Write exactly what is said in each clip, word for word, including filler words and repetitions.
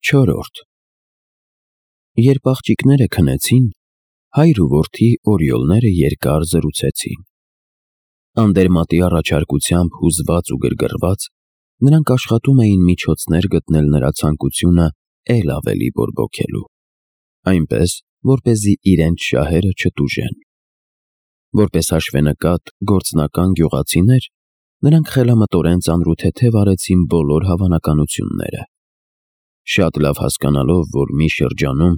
Չորրորդ Երբ աղջիկները քնեցին, հայր ու որդի օրիոլները երկար զրուցեցին։ Անդերմատի առաջարկությամբ հուզված ու գրգռված, նրանք աշխատում էին միջոցներ գտնել նրա ցանկությունը էլ ավելի բորբոքելու, այնպես, որպեսզի իրենց շահերը չտուժեն։ Որպես հաշվենկատ գործնական գյուղացիներ, նրանք խելամտորեն ծանրութեթև արեցին բոլոր հավանականությունները։ Շատ լավ հասկանալով, որ մի շրջանում,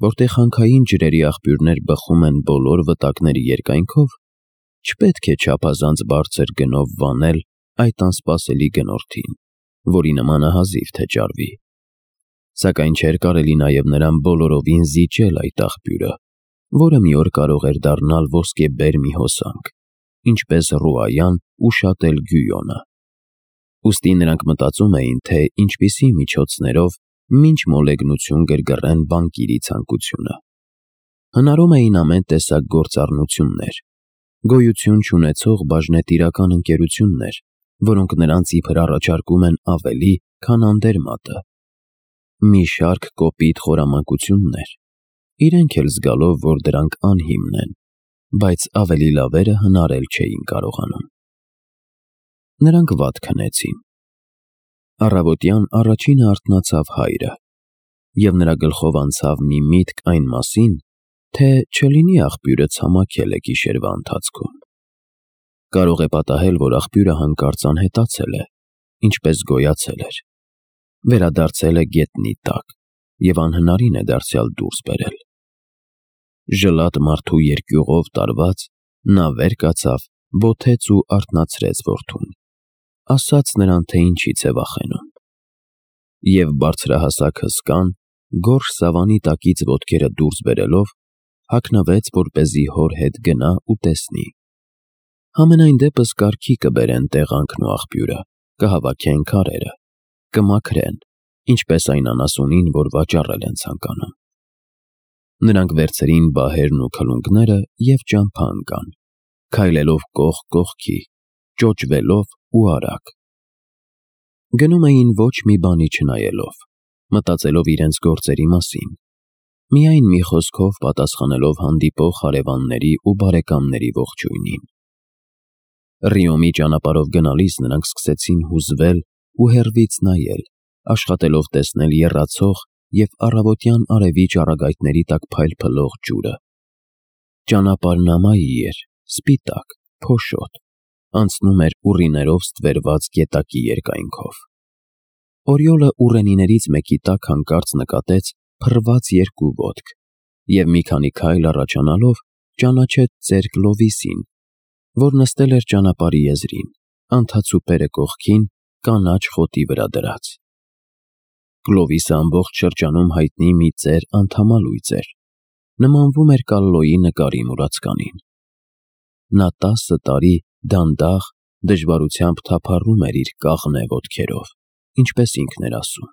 որտեղ հանքային ջրերի աղբյուրներ բխում են բոլոր վտակների երկայնքով, չպետք է չափազանց բարձր գնով վանել այդ անսպասելի գնորդին, որի նմանը հազիվ թե ճարվի։ Սակայն չէր կարելի նաև նրան բոլորովին զիջել այդ աղբյուրը, որը մի օր կարող էր դառնալ ոսկեբեր մի հոսանք, ինչպես Ռուայան ու շատ էլ Գույոնը։ Ուստի նրանք մտածում էին, թե ինչպիսի միջոցներով մինչ մոլեգնություն գրգռեն բանկիրի ցանկությունը։ Հնարում էին ամեն տեսակ գործառնություններ, գոյություն չունեցող բաժնետիրական ընկերություններ, որոնք նրանց իբր առաջարկում են ավելի, քան անդերմատը։ Մի շարք կոպիտ խորամանկություններ, իրենք էլ զգալով, որ դրանք անհիմն են, բայց ավելի լավերը հնարել չէին կարողանում։ Նրանք վատ քնեցին։ Առավոտյան առաջինը արթնացավ հայրը, և նրա գլխով անցավ մի միտք այն մասին, թե չլինի աղբյուրը ցամաքել է գիշերվա ընթացքում։ Կարող է պատահել, որ աղբյուրը հանկարծ անհետացել է, ինչպես գոյացել էր, վերադարձել է գետնի տակ և անհնարին է դարձյալ դուրս բերել։ Ժլատ մարդու երկյուղով տարված, նա վեր կացավ, բոթեց ու արթնացրեց որդուն, ասաց նրան, թե ինչից է վախենում։ Եվ բարձրահասակ հսկան, գորշ սավանի տակից ոտքերը դուրս բերելով, հագնվեց, որպեսզի հոր հետ գնա ու տեսնի։ Համենայն դեպս կարգի կբերեն տեղանքն ու աղբյուրը, կհավաքեն քարերը, կմաքրեն, ինչպես այն անասունին, որ վաճառել են ցանկանում։ Նրանք վերցրին բահերն ու քլունգները և ճամփա ընկան, քայլելով կողք կողքի, ճոճվելով ու արագ։ Գնում էին ոչ մի բանի չնայելով, մտածելով իրենց գործերի մասին, միայն մի խոսքով պատասխանելով հանդիպող հարևանների ու բարեկամների ողջույնին։ Ռիոմի ճանապարհով գնալիս նրանք սկսեցին հուզվել ու հեռվից նայել, աշխատելով տեսնել եռացող և առավոտյան արևի ճառագայթների տակ փայլփլող ջուրը։ Ճանապարհն ամայի էր, սպիտակ, փոշոտ, անցնում էր ուռիներով ստվերված գետակի երկայնքով։ Օրիոլը ուռենիներից մեկի տակ հանկարծ նկատեց փռված երկու ոտք և մի քանի քայլ առաջանալով ճանաչեց ծեր Կլովիսին, որ նստել էր ճանապարհի եզրին, անթացուպերը կողքին, կանաչ խոտի վրա դրած։ Կլովիսը ամբողջ շրջանում հայտնի մի ծեր անդամալույծ էր, նմանվում էր Կալլոյի նկարի մուրացկանին։ Նա տասը տարի դանդաղ, դժվարությամբ թափառում էր իր կաղնե ոտքերով, ինչպես ինքն էր ասում։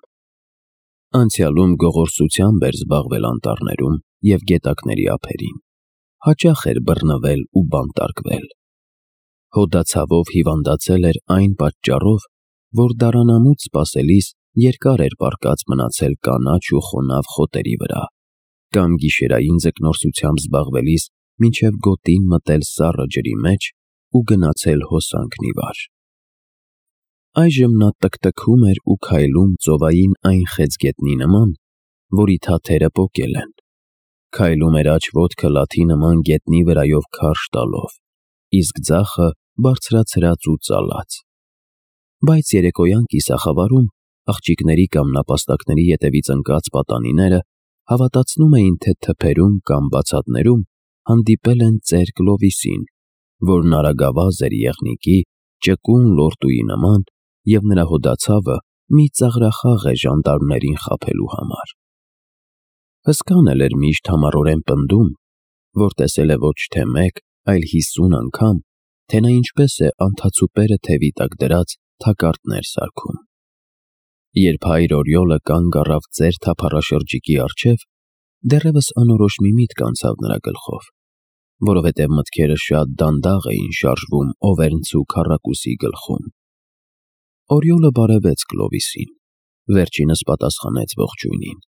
Անցյալում գողորսությամբ էր զբաղվել անտառներում և գետակների ափերին, հաճախ էր բռնվել ու բանտարկվել։ Հոդացավով հիվանդացել էր այն պատճառով, որ դարանամուտ սպասելիս երկար էր պառկած մնացել կանաչ ու խոնավ խոտերի վրա, կամ գիշերային ձկնորսությամբ զբաղվելիս մինչև գոտին մտել սառը ջրի մեջ ու գնացել հոսանքն ի վար։ Այժմ նա տկտկում էր ու քայլում ծովային այն խեցգետնի նման, որի թաթերը պոկել են, քայլում էր աջ ոտքը լաթի նման գետնի վրայով քարշ տալով, իսկ ձախը բարձրացրած ու ծալած։ Բայց երեկոյան կիսախավարում աղջիկների կամ նապաստակների ետևից ընկած պատանիները հավատացնում էին, թե թփերում կամ բացատներում հանդիպել են ծեր Կլովիսին, որն արագավազ էր եղնիկի, ճկուն լորտուի նման, և նրա հոդացավը մի ծաղրախաղ է ժանդարմներին խաբելու համար։ Հսկան էլ էր միշտ համառորեն պնդում, որ տեսել է ոչ թե մեկ, այլ հիսուն անգամ, թե նա ինչպես է անթացուպերը թևի տակ դրած թակարդներ սարքում։ Երբ հայր Օրիոլը կանգ առավ ծեր թափառաշրջիկի առջև, դեռևս անորոշ մի միտք անցավ նրա գլխով, որովհետև մտքերը շատ դանդաղ էին շարժվում Օվերնցու քառակուսի գլխում։ Օրիոլը բարևեց Կլովիսին, Վերջինս պատասխանեց ողջույնին։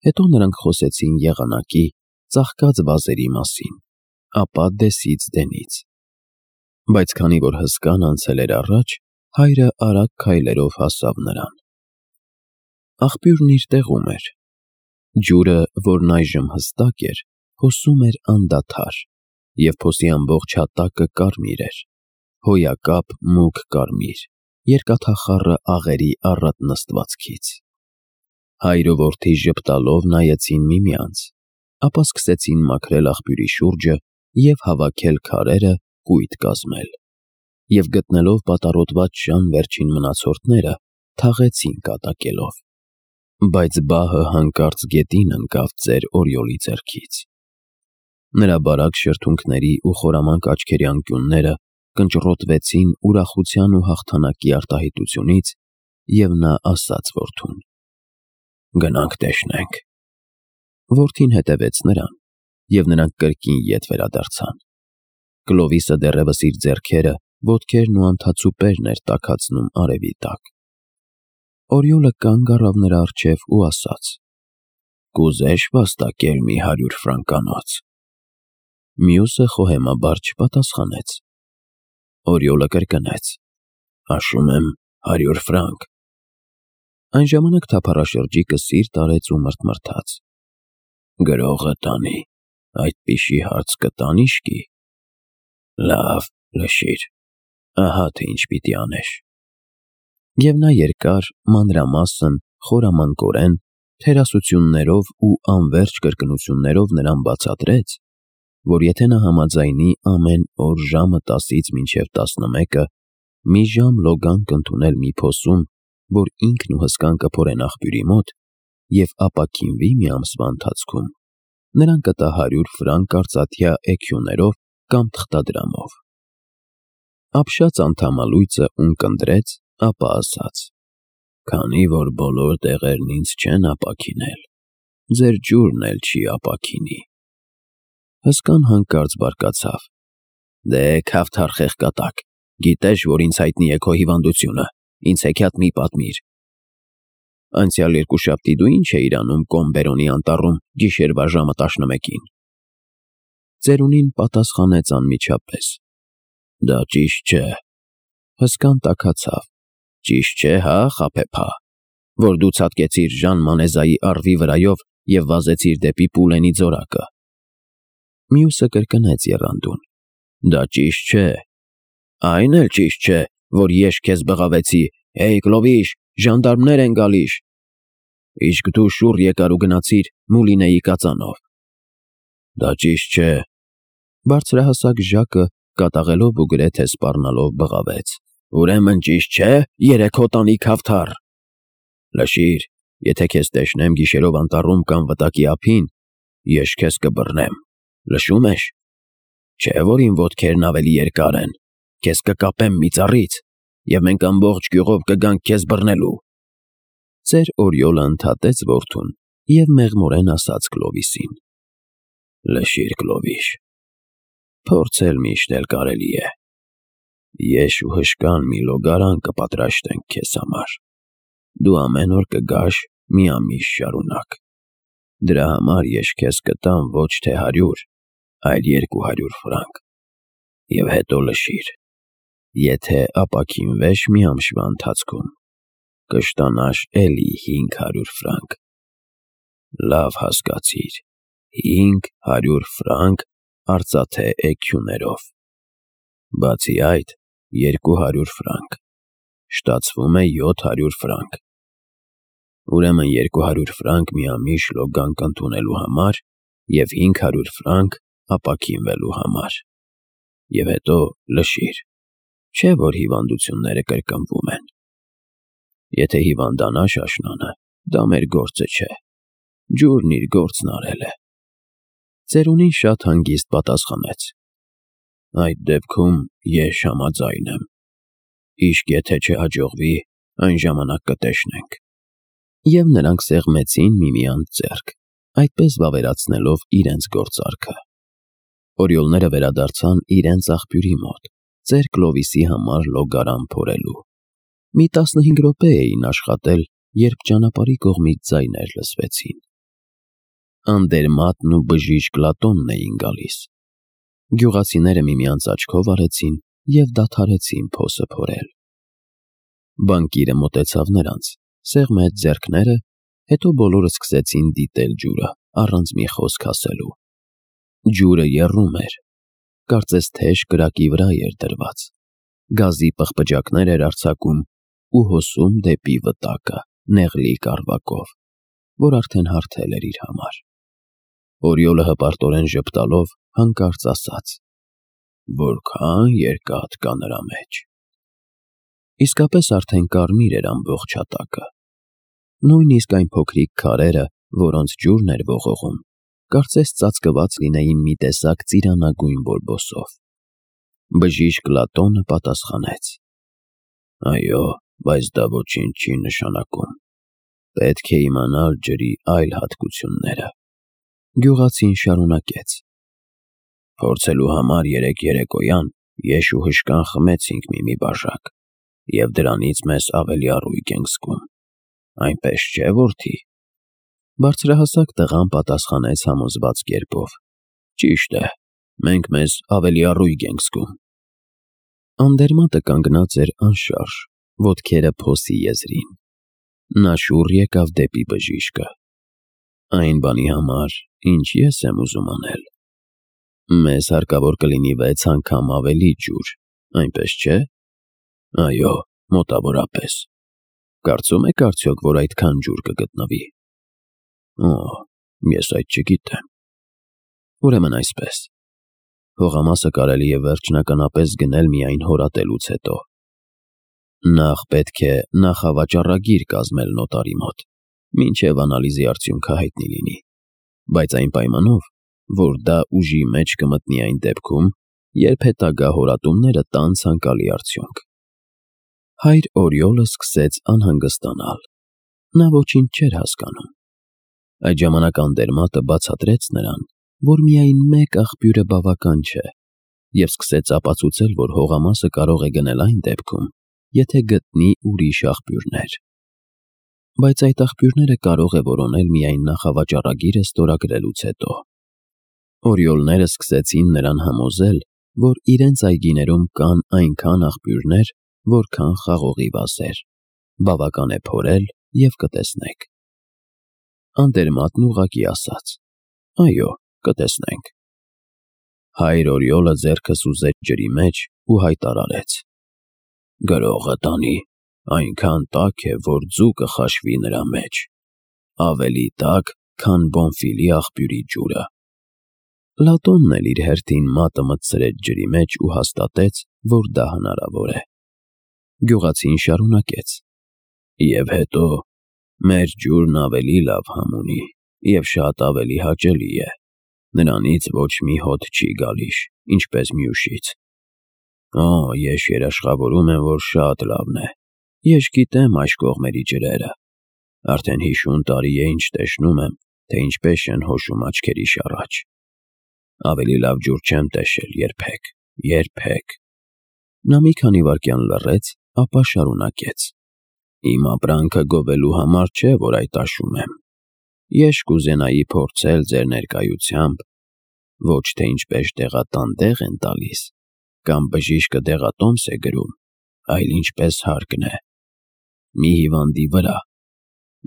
Հետո նրանք խոսեցին եղանակի, ծաղկած վազերի մասին, ապա դեսից դենից։ Բայց քանի որ հսկան անցել էր առաջ, հայրը արագ քայլերով հասավ նրան։ Աղբյուրն իր տեղում էր։ Ջուրը, որն այժմ հստակ էր, հոսում էր անդադար, և փոսի ամբողջ հատակը կարմիր էր, հոյակապ մուգ կարմիր, երկաթախառը աղերի առատ նստվածքից։ Հայր ու որդի ժպտալով նայեցին միմյանց, ապա սկսեցին մաքրել աղբյուրի շուրջը և հավաքել քարերը կույտ կազմել, և գտնելով պատառոտված շան վերջին մնացորդները, թաղեցին կատակելով։ Բայց բահը հանկարծ գետին ընկավ ծեր Օրիոլի ձեռքից։ Նրա բարակ շրթունքների ու խորամանկ աչքերի անկյունները կնճռոտվեցին ուրախության ու հաղթանակի արտահայտությունից, և նա ասաց որդուն. «Գնանք տեսնենք»։ Որդին հետևեց նրան, և նրանք կրկին ետ վերադարձան։ Կլովիսը դեռևս իր ձեռքերը, ոտքերն ու անթացուպերն էր տաքացնում արևի տակ։ Օրիոլը կանգ առավ նրա առջև ու ասաց. «Կուզե՞š վաստակել մի հարյուր ֆրանկանոց»։ Մյուսը խոհեմաբար չպատասխանեց։ Օրիոլը կրկնեց. «Ասում եմ, հարյուր ֆրանկ»։ Այն ժամանակ թափառաշրջիկը սիրտ արեց ու մռթմռթաց. «Գրողը տանի, այդպիսի հարց կտա՞ն իշխի»։ Լավ, լսիր, ահա թե ինչ պիտի անես։ Եվ նա երկար, մանրամասն, խորամանկորեն, թերասություններով ու անվերջ կրկնություններով նրան բացատրեց, որ եթե նա համաձայնի ամեն օր ժամը տասից մինչև տասնմեկը մի ժամ լոգան կընդունել մի փոսում, որ ինքն ու հսկան կփորեն աղբյուրի մոտ, և ապաքինվի մի ամսվա ընթացքում, նրան կտա հարյուր ֆրանկ արծաթյա էքյուներով կամ թղթադրամով։ Ապշած անդամալույծը ունկնդրեց, ապա ասաց. «Քանի որ բոլոր տեղերն ինձ չեն ապաքինել, ձեր ջուրն էլ չի ապաքինի»։ Հսկան հանկարծ բարկացավ. «Դե, քավթար խեղկատակ, գիտես, որ ինձ հայտնի է քո հիվանդությունը, ինձ հեքիաթ մի պատմիր։ Անցյալ երկուշաբթի դու ի՞նչ էիր անում Կոմբերոնի անտառում գիշերվա ժամը տասնմեկին»։ Ծերունին պատասխանեց անմիջապես. «Դա ճիշտ չէ»։ Հսկան տաքացավ. «Ճիշտ չէ, հա, խաբեբա, որ դու ցատկեցիր Ժան Մանեզայի առվի վրայով և վազեցիր դեպի Պուլենի ձորակը»։ Մյուսը կրկնեց եռանդուն. «Դա ճիշտ չէ»։ «Այն էլ ճիշտ չէ, որ ես քեզ բղավեցի. «Հեյ, Կլովիշ, ժանդարմներ են գալիս»։ Իսկ դու շուռ եկար ու գնացիր Մուլինեի կածանով»։ «Դա ճիշտ չէ»։ Բարձրահասակ Ժակը կատաղելով ու գրեթե սպառնալով բղավեց. «Ուրեմն ճիշտ չէ, երեք հոտանի քավթար։ Լսիր, եթե քեզ տեսնեմ գիշերով անտառում կամ վտակի ափին, ես քեզ կբռնեմ, լսո՞ւմ ես։ Չէ՞ որ իմ ոտքերն ավելի երկար են, քեզ կկապեմ մի ծառից, և մենք ամբողջ գյուղով կգանք քեզ բռնելու»։ Ծեր Օրիոլը ընդհատեց որդուն և մեղմորեն ասաց Կլովիսին. «Լսիր, Կլովիշ, փորձել միշտ էլ կարելի է։ Ես ու հսկան մի լոգարան կպատրաստենք քեզ համար։ Դու ամեն օր կգաս մի ամիս շարունակ։ Դրա համար ես քեզ կտամ ոչ թե հարյուր, այլ երկու հարյուր ֆրանկ։ Եվ հետո լսիր, եթե ապաքինվես մի ամսվա ընթացքում, կստանաս էլի հինգ հարյուր ֆրանկ։ Լավ հասկացիր, հինգ հարյուր ֆրանկ արծաթե էքյուներով։ Բացի այդ, երկու հարյուր ֆրանկ, ստացվում է յոթ հարյուր ֆրանկ։ Ուրեմն երկու հարյուր ֆրանկ մի ամիս լոգան կընդունելու համար և հինգ հարյուր ֆրանկ ապաքինվելու համար։ Եվ հետո լսիր, չէ՞ որ հիվանդությունները կրկնվում են։ Եթե հիվանդանաս աշնանը, դա մեր գործը չէ, ջուրն իր գործն արել է»։ Ծերունին շատ հանգիստ պատասխանեց. «Այդ դեպքում ես համաձայն եմ։ Իսկ եթե չհաջողվի, այն ժամանակ կտեսնենք»։ Եվ նրանք սեղմեցին միմյանց ձեռք, այդպես վավերացնելով իրենց գործարքը։ Օրիոլները վերադարձան իրենց աղբյուրի մոտ, ծեր Կլովիսի համար լոգարան փորելու։ Մի տասնհինգ րոպե էին աշխատել, երբ ճանապարհի կողմից ձայներ լսվեցին։ Անդերմատն ու բժիշկ Լատոնն էին գալիս։ Գյուղացիները միմյանց աչքով արեցին և դադարեցին փոսը փորել։ Բանկիրը մոտեցավ նրանց, սեղմեց ձեռքները, հետո բոլորը սկսեցին դիտել ջուրը, առանց մի խոսք ասելու։ Ջուրը եռում էր, կարծես թեժ կրակի վրա էր դրված, գազի պղպջակներ էր արձակում ու հոսում դեպի վտակը նեղլիկ առվակով, որ արդեն հարթել էր իր համար։ Օրիոլը հպարտորեն ժպտալով հանկարծ ասաց. «Որքան երկաթ կա նրա մեջ»։ Իսկապես արդեն կարմիր էր ամբողջ հատակը։ Նույնիսկ այն փոքրիկ քարերը, որոնց ջուրն էր ողողում, կարծես ծածկված լինեին մի տեսակ ծիրանագույն բորբոսով։ Բժիշկ Լատոնը պատասխանեց. «Այո, բայց դա ոչինչ չի նշանակում։ Պետք է իմանալ ջրի այլ հատկությունները»։ Գյուղացին շարունակեց. «Փորձելու համար երեկ երեկոյան եշ ու հշկան խմեցինք մի-մի բաժակ, և դրանից մեզ ավելի առույգ ենք զգում։ Այնպես չէ՞, որդի»։ Բարձրահասակ տղան պատասխանեց համոզված կերպով. «Ճիշտ է, մենք մեզ ավելի առույգ ենք զգում»։ Անդերմատը կանգնած էր անշարժ, ոտքերը փոսի եզրին։ Նա շուռ եկավ դեպի բժիշկը։ «Այն բանի համար, ինչ ես եմ ուզում անել։ Մեզ հարկավոր կլինի վեց անգամ ավելի ջուր, այնպես չէ՞։ Այո, մոտավորապես։ Կարծում եք արդյոք, որ այդքան ջուր կգտնվի։ Օ, ես այդ չգիտեմ։ Ուրեմն այսպես. հողամասը կարելի է վերջնականապես գնել միայն հորատելուց հետո։ Նախ պետք է նախավաճառագիր կազմել նոտարի մոտ, մինչև անալիզի արդյունքը հայտնի լինի, բայց այն պայմանով, որ դա ուժի մեջ կմտնի այն դեպքում, երբ հետագա հորատումները տան ցանկալի արդյունք»։ Հայր Օրիոլը սկսեց անհանգստանալ։ Նա ոչինչ չէր հասկանում։ Այդ ժամանակ Անդերմատը բացատրեց նրան, որ միայն մեկ աղբյուրը բավական չէ, և սկսեց ապացուցել, որ հողամասը կարող է գնել այն դեպքում, եթե գտնի ուրիշ աղբյուրներ։ Բայց այդ աղբյուրները կարող է որոնել միայն նախավաճառագիրը ստորագրելուց հետո։ Օրիոլները սկսեցին նրան համոզել, որ իրենց այգիներում կան այնքան աղբյուրներ, որքան խաղողի վազեր, բավական է փորել և կտեսնեք։ Անդերմատն ուղղակի ասաց. «Այո, կտեսնենք»։ Հայր Օրիոլը ձեռքը սուզեց ջրի մեջ ու հայտարարեց. «Գրողը տանի այնքան տաք է, որ ձուկը խաշվի նրա մեջ, ավելի տաք, քան Բոնֆիլի աղբյուրի ջուրը»։ Լատոնն էլ իր հերթին մատը մտցրեց ջրի մեջ ու հաստատեց, որ դա հնարավոր է։ Գյուղացին շարունակեց. «Եվ հետո մեր ջուրն ավելի լավ համ ունի և շատ ավելի հաճելի է, նրանից ոչ մի հոտ չի գալիս, ինչպես մյուսից։ Օ, ես երաշխավորում եմ, որ շատ լավն է, ես գիտեմ այս կողմերի ջրերը, արդեն հիշուն տարի է ինչ տեսնում եմ, թե ինչպես են հոշում աչքերիս առաջ։ Ավելի լավ ջուր չեմ տեսել երբեք, երբեք»։ Նա մի քանի վայրկյան լռեց, ապա շարունակեց. «Իմ ապրանքը գովելու համար չէ, որ այդ աշում եմ։ Ես կուզենայի փորձել ձեր ներկայությամբ ոչ թե ինչպես տեղատան են տալիս, կամ բժիշկը դեղատոմս է գրում, այլ ինչպես հարկն է։ Մի հիվանդի վրա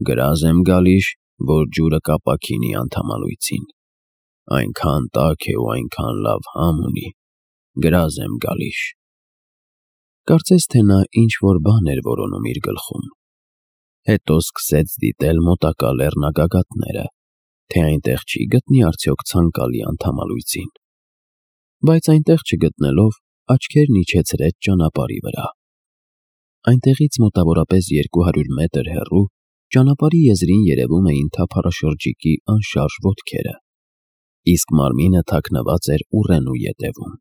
գրազ եմ գալիս, որ ջուրը կապաքինի անդամալույցին, այնքան տաք է ու այնքան լավ համ ունի, գրազ եմ գալիս»։ Կարծես թե նա ինչ-որ բան էր որոնում իր գլխում։ Հետո սկսեց դիտել մոտակա լեռնագագաթները, թե այնտեղ չի գտնի արդյոք ցանկալի անդամալույցին։ Բայց այնտեղ չգտնելով, աչքերն իջեցրեց ճանապարհի վրա։ Այնտեղից մոտավորապես երկու հարյուր մետր հեռու ճանապարհի եզրին երևում էին թափառաշրջիկի անշարժ ոտքերը, իսկ մարմինը թաքնված էր ուռենու ետևում։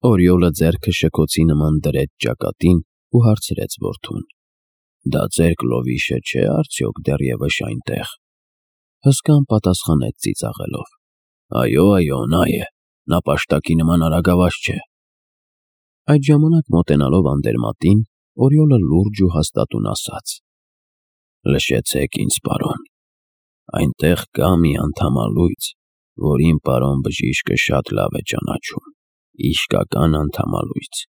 Օրիոլը ձեռքը շքոցի նման դրեց ճակատին ու հարցրեց որդուն. «Դա ձեր կլովիշը չէ՞ արդյոք դեռևս այնտեղ»։ Հսկան պատասխանեց ծիծաղելով. «Այո, այո, նա է, նա պաշտակի նման արագավազ չէ»։ Այդ ժամանակ մոտենալով Անդերմատին, Օրիոլը լուրջ ու հաստատուն ասաց. Լսեցեք ինձ, պարոն, այնտեղ կա մի անդամալույծ, որին պարոն բժիշկը շատ լավ է ճանաչում, իսկական անդամալույծ,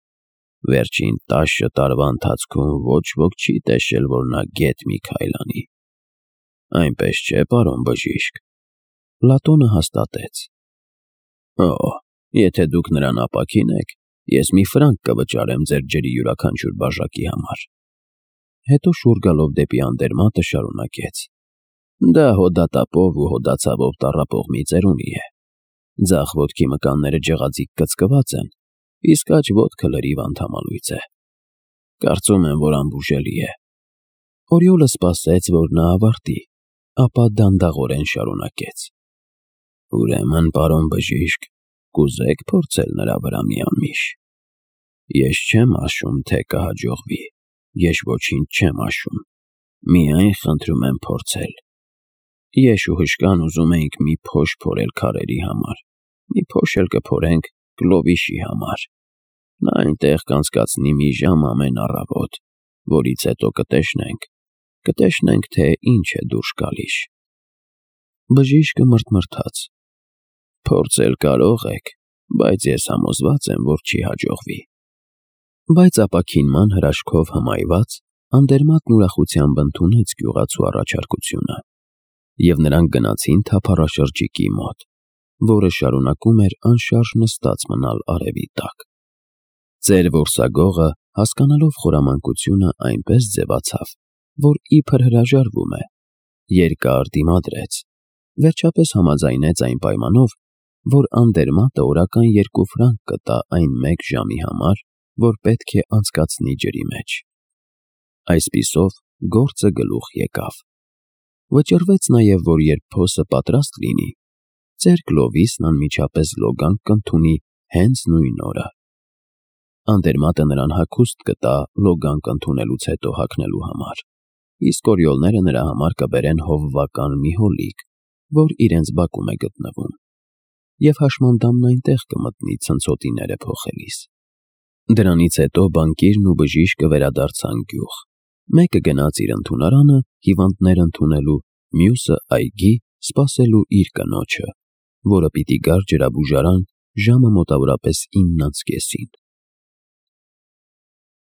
վերջին տասը տարվա ընթացքում ոչ ոք չի տեսել, որ նա գետ մի քայլանի, այնպես չէ, պարոն բժիշկ, Պլատոնը հաստատեց։ Օ, եթե դուք նրան ապաքինեք, ես մի ֆրանկ կվճարեմ ձեր ջրի յուրաքանչյուր բաժակի համար։ Հետո շուռ գալով դեպի անդերմատը շարունակեց. Դա հոդատապով ու հոդացավով տառապող մի ծերունի է։ Ձախ ոտքի մկանները ջղածիկ կծկված են, իսկ աջ ոտքը լրիվ անդամալույծ է։ Կարծում եմ, որ անբուժելի է։ Օրիոլը սպասեց, որ նա ավարտի, ապա դանդաղորեն շարունակեց. Ուրեմն, պարոն բժիշկ, կուզեք փորձել նրա վրա մի ամիշ։ Ես չեմ ասում, թե կհաջողվի, ես ոչինչ չեմ ասում, միայն խնդրում եմ փորձել։ Ես ու հշկան ուզում էինք մի փոշ փորել քարերի համար, մի փոշ էլ կփորենք Կլովիշի համար։ Նա այնտեղ կանցկացնի մի ժամ ամեն առավոտ, որից հետո կտեսնենք, կտեսնենք, թե ինչ է դուրս գալիս։ Բժիշկը մռթմռթաց. Փորձել կարող եք, բայց ես համոզված եմ, որ չի հաջողվի։ Բայց ապաքինման հրաշքով հմայված, անդերմատն ուրախությամբ ընդունեց գյուղացու առաջարկությունը, և նրանք գնացին թափառաշրջիկի մոտ, որը շարունակում էր անշարժ նստած մնալ արևի տակ։ Ծեր որսագողը, հասկանալով խորամանկությունը, այնպես ձևացավ, որ իբր հրաժարվում է, երկար դիմադրեց, վերջապես համաձայնեց այն պայմանով, որ անդերմատը օրական երկու ֆրանկ կտա այն մեկ ժամի համար, որ պետք է անցկացնի ջրի մեջ։ Այսպիսով գործը գլուխ եկավ։ Վճռվեց նաև, որ երբ փոսը պատրաստ լինի, ծեր Կլովիսն անմիջապես լոգանք կընդունի հենց նույն օրը։ Անդերմատը նրան հագուստ կտա լոգանք ընդունելուց հետո հագնելու համար, իսկ օրիոլները նրա համար կբերեն հովվական մի հոլիկ, որ իրենց բակում է գտնվում, և հաշմանդամն այնտեղ կմտնի ցնցոտիները փոխելիս։ Դրանից հետո բանկիրն ու բժիշկը վերադարձան գյուղ, մեկը գնաց իր ընդունարանը հիվանդներ ընդունելու, մյուսը այգի սպասելու իր կնոջը, որը պիտի գար ջրաբուժարան ժամը մոտավորապես ինն անց կեսին։